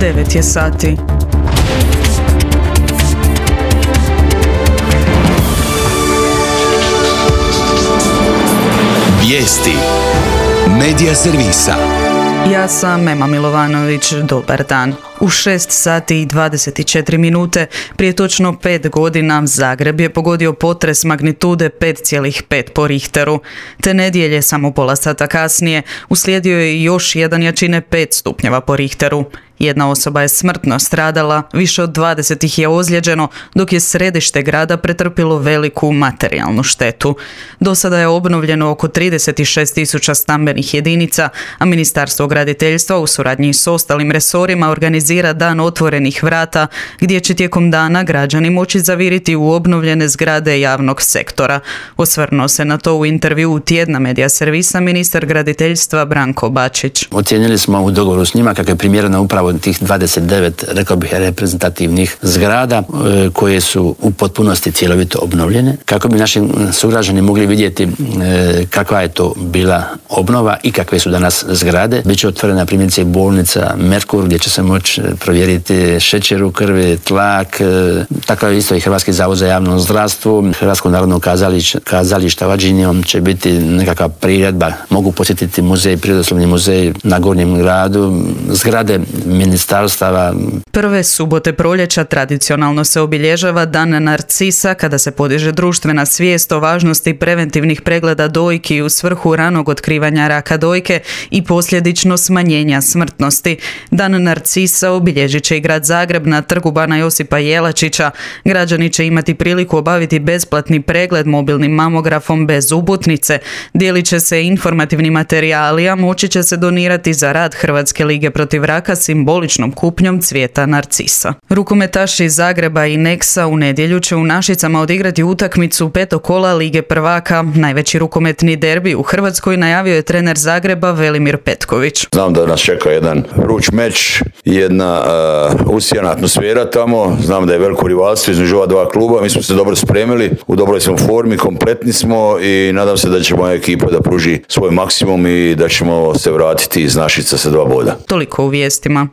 9 je sati. Vijesti Medija servisa. Ja sam Ema Milovanović, dobar dan. U 6 sati i 24 minute, prije točno 5 godina, Zagreb je pogodio potres magnitude 5,5 po Richteru. Te nedjelje, samo pola sata kasnije, uslijedio je još jedan jačine 5 stupnjeva po Richteru. Jedna osoba je smrtno stradala, više od 20 ih je ozlijeđeno, dok je središte grada pretrpilo veliku materijalnu štetu. Do sada je obnovljeno oko 36.000 stambenih jedinica, a Ministarstvo graditeljstva u suradnji s ostalim resorima organizira dan otvorenih vrata, gdje će tijekom dana građani moći zaviriti u obnovljene zgrade javnog sektora. Osvrnuo se na to u intervjuu Tjedna Medija servisa ministar graditeljstva Branko Bačić. Ocijenili smo u dogovoru s njima kako je primjereno upravo tih 29, rekao bih, reprezentativnih zgrada koje su u potpunosti cjelovito obnovljene, kako bi naši sugrađani mogli vidjeti kakva je to bila obnova i kakve su danas zgrade. Biće otvorena primjerice bolnica Merkur, gdje će se moći provjeriti šećer u krvi, tlak, tako je isto i Hrvatski zavod za javno zdravstvo, Hrvatsko narodno kazalište Vađinijom će biti nekakva priredba, mogu posjetiti muzej, Prirodoslovni muzej na Gornjem gradu, zgrade ministarstava. Prve subote proljeća tradicionalno se obilježava Dan Narcisa, kada se podiže društvena svijest o važnosti preventivnih pregleda dojki u svrhu ranog otkrivanja raka dojke i posljedično smanjenja smrtnosti. Dan Narcisa obilježit će i grad Zagreb na Trgu bana Josipa Jelačića. Građani će imati priliku obaviti besplatni pregled mobilnim mamografom bez uputnice. Dijelit će se informativni materijali, a moći će se donirati za rad Hrvatske lige protiv raka simboličnom kupnjom cvijeta narcisa. Rukometaši iz Zagreba i Neksa u nedjelju će u Našicama odigrati utakmicu petog kola Lige prvaka. Najveći rukometni derbi u Hrvatskoj najavio je trener Zagreba Velimir Petković. Znam da nas čeka jedan vruć meč, jedna usijana atmosfera tamo. Znam da je veliko rivalstvo između ova dva kluba. Mi smo se dobro spremili, u dobroj smo formi, kompletni smo i nadam se da će moja ekipa da pruži svoj maksimum i da ćemo se vratiti iz Našica sa 2 boda. Toliko u vijestima.